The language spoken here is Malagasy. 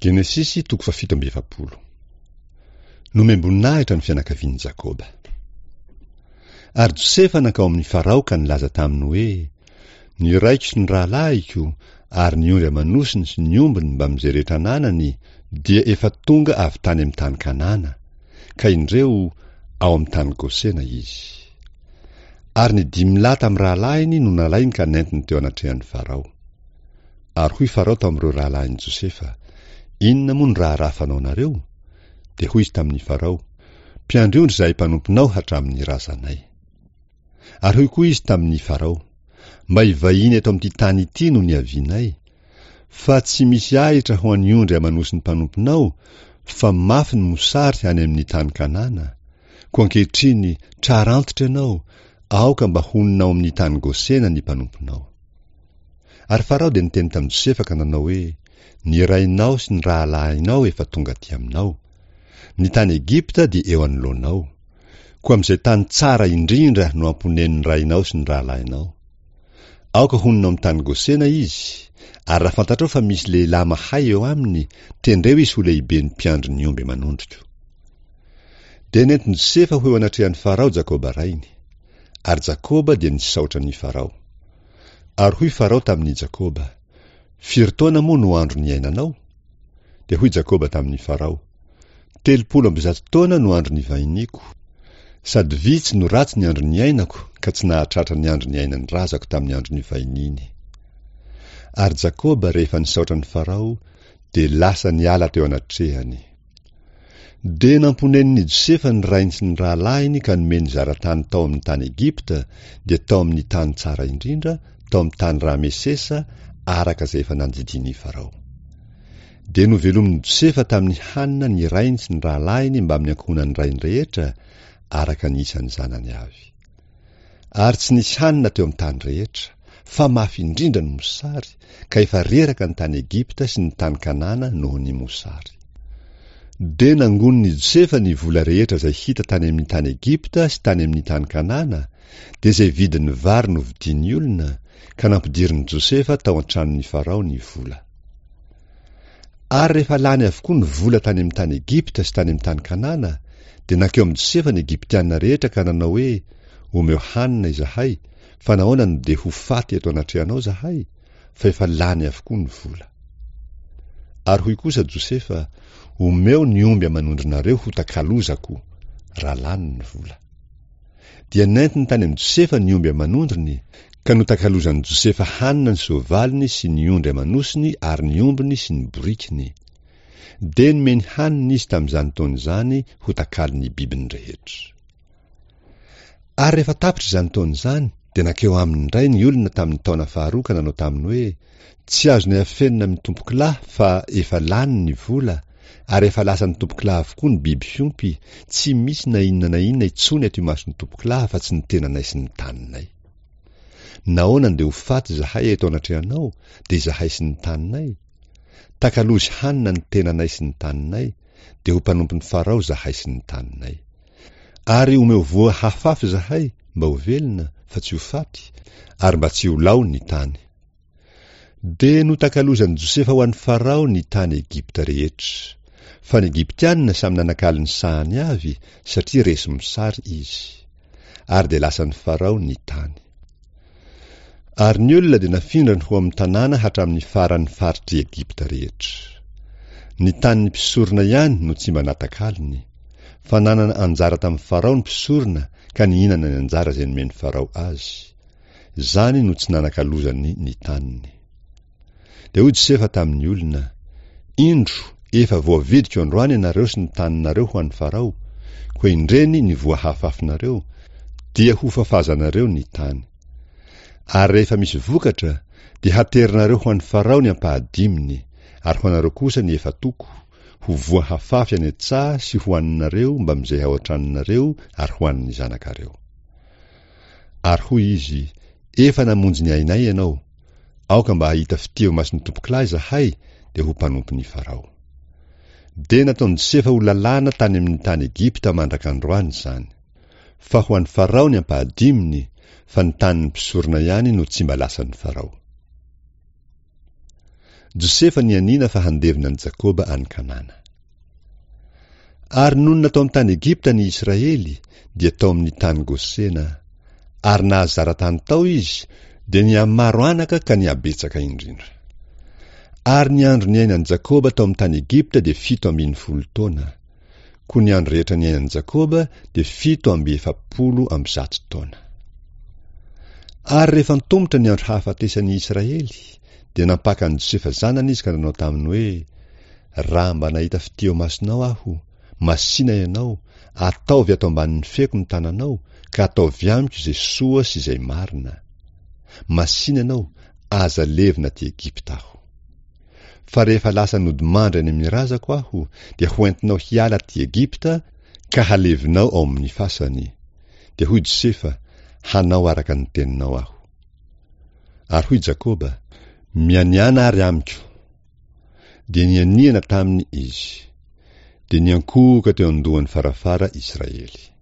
Genesisy toko fahafito amby efapolo. Nomem-boninahitra ny fianakavian'i Jakoba. Ary Josefa nankao amin'i Farao ka nilaza taminy hoe, Ny raiko sy ny rahalahiko ary ny ondry aman'osiny sy ny ombiny mbamin'izay rehetra ananany dia efa tonga avy tany amin'ny tany Kanana, ka indreo, ao amin'ny tany Gosena izy. Ary ny dimy lahy tamin'ny rahalahiny no nalainy ka nentiny teo anatrehan'i Farao. Ary hoy Farao tamin'ireo rahalahin'i Josefa, Inona moa no raharaha fanaonareo? Dia hoy izy tamin'i Farao, Mpiandry ondry izahay mpanomponao hatramin'ny razanay. Ary hoy koa izy tamin'i Farao, Mba hivahiny eto amin'ity tany ity no niavianay, fa tsy misy ahitra ho an'ny ondry aman'osin'ny mpanomponao, fa mafy ny mosary any amin'ny tany Kanana. Koa ankehitriny, trara antitra ianao, aoka mba honina ao amin'ny tany Gosena ny mpanomponao. Ary Farao dia niteny tamin'i Josefa ka nanao hoe, Ny rainao sy ny rahalahinao efa tonga aty aminao. Ny tany Egypta dia eo anoloanao. Koa amin'izay tany tsara indrindra no amponenin'ny rainao sy ny rahalahinao. Aoka honina ao amin'ny tany Gosena izy, ary raha fantatrao fa misy lehilahy mahay eo aminy, tendreo izy ho lehiben'ny mpiandry ny omby aman'ondriko. Dia nentin'i Josefa ho eo anatrehan'i Farao Jakoba rainy. Ary Jakoba dia nisaotra an'i Farao. Ary hoy Farao tamin'i Jakoba, Firy taona moa no andro niainanao? Dia hoy Jakoba tamin'i Farao, 130 taona no andro nivahiniako. Sady vitsy no ratsy ny andro niainako ka tsy nahatratra ny andro niainan'ny razako tamin'ny andro nivahiniany. Ary Jakoba rehefa nisaotra an'i Farao dia lasa niala teo anatrehany. Dia namponenin'i Josefa ny rainy sy ny rahalahiny ka nomeny zara-tany tao amin'ny tany Egypta, dia tao amin'ny tany tsara indrindra, tao amin'ny tany Ramesesa, araka izay efa nandidian'i Farao. Dia novelomin'i Josefa tamin'ny hanina ny rainy sy ny rahalahiny mbamin'ny ankohonan'ny rainy rehetra, araka ny isan'ny zanany avy. Ary tsy nisy hanina teo amin'ny tany rehetra, fa mafy indrindra ny mosary, ka efa reraka ny tany Egypta sy ny tany Kanana noho ny mosary. Dia nangonin'i Josefa ny vola rehetra izay hita tany amin'ny tany Egypta sy tany amin'ny tany Kanana, dia izay vidin'ny vary novidian'ny olona, ka nampidirin'i Josefa tao an-tranon'i Farao ny vola. Ary rehefa lany avokoa ny vola tany amin'ny tany Egypta sy tany amin'ny tany Kanana, dia nankeo amin'i Josefa ny Egyptiana rehetra ka nanao hoe, Omeo hanina izahay, fa nahoana no dia ho faty eto anatrehanao izahay? Fa efa lany avokoa ny vola. Ary hoy kosa Josefa, Omeo ny omby aman'ondrinareo ho takalozako, raha lany ny vola. Dia nentiny tany amin'i Josefa ny omby aman'ondriny, ka notakalozan'i Josefa hanina ny soavaliny sy ny ondry aman'osiny ary ny ombiny sy ny borikiny. Dia nomeny hanina izy tamin'izany taona izany ho takalon'ny bibiny rehetra. Ary rehefa tapitra izany taona izany, dia nankeo aminy indray ny olona tamin'ny taona faharoa ka nanao taminy hoe, Tsy azonay afenina amin'ny tompokolahy fa efa lany ny vola, ary efa lasan'ny tompokolahy avokoa ny biby fiompy, tsy misy na inona na inona intsony ato imason'ny tompokolahy afa-tsy ny tenanay sy ny taninay. Nahoana no dia ho faty izahay eto anatrehanao, dia izahay sy ny taninay? Takalozy hanina ny tenanay sy ny taninay, dia ho mpanompon'i Farao izahay sy ny taninay. Ary omeo voa hafafy izahay mba ho velona fa tsy ho faty, ary mba tsy ho lao ny tany. Dia notakalozan'i Josefa ho an'i Farao ny tany Egypta rehetra. Fa ny Egyptiana samy nanakalo ny sahany avy, satria resy mosary izy. Ary dia lasan'i Farao ny tany. Ary ny olona dia nafindrany ho amin'ny tanàna hatramin'ny faran'ny faritr'i Egypta rehetra. Ny tanin'ny mpisorona ihany no tsy mba natakalony, fa nanana anjara tamin'i Farao ny mpisorona ka nihinana ny anjara izay nomen'i Farao azy. Izany no tsy nanakalozany ny taniny. Dia hoy Josefa tamin'ny olona, Indro, efa voavidiko androany ianareo sy ny taninareo ho an'i Farao, koa indreny ny voa hafafinareo, dia hofafazanareo ny tany. Ary rehefa misy vokatra, dia haterinareo ho an'i Farao ny ampahadiminy, ary ho anareo kosa ny efa-toko, ho voa hafafy any an-tsaha sy hohaninareo mbamin'izay ao an-tranonareo ary ho an'ny zanakareo. Ary hoy izy, Efa namonjy ny ainay ianao, aoka mba hahita fitia eo imason'ny tompokolahy izahay, dia ho mpanompon'i Farao. Dia nataon'i Josefa ho lalàna tany amin'ny tany Egypta mandraka androany izany. Fa ho an'i Farao ny ampahadiminy, fa ny tanin'ny mpisorona ihany no tsy mba lasan'i Farao. Josefa nianiana fa handevina an'i Jakoba any Kanana. Ary nonina tao amin'ny tany Egypta ny Israely, dia tao amin'ny tany Gosena. Ary nahazara tany tao izy, dia nihamaro anaka ka nihabetsaka indrindra. Ary ny andro niainan'i Jakoba tao amin'ny tany Egypta dia 17 taona. Koa ny andro rehetra niainan'i Jakoba dia 147 taona. Ary rehefa antomotra ny andro hahafatesan'i Israely, dia nampaka an'i Josefa zanany izy ka nanao taminy hoe, Raha mba nahita fitia eo imasonao aho, masìna ianao, ataovy ato ambanin'ny feko ny tananao, ka ataovy amiko izay soa sy izay marina. Masìna ianao, aza levona aty Egypta aho. Fa rehefa lasa nodimandry any amin'ny razako aho, dia hoentinao hiala aty Egypta, ka halevinao ao amin'ny fasany. Dia hoy Josefa, Hanao araka ny teninao aho. Ary hoy Jakoba, Mianiàna ary amiko. Dia nianiana taminy izy. Dia niankohoka teo an-dohan'ny farafara Israely.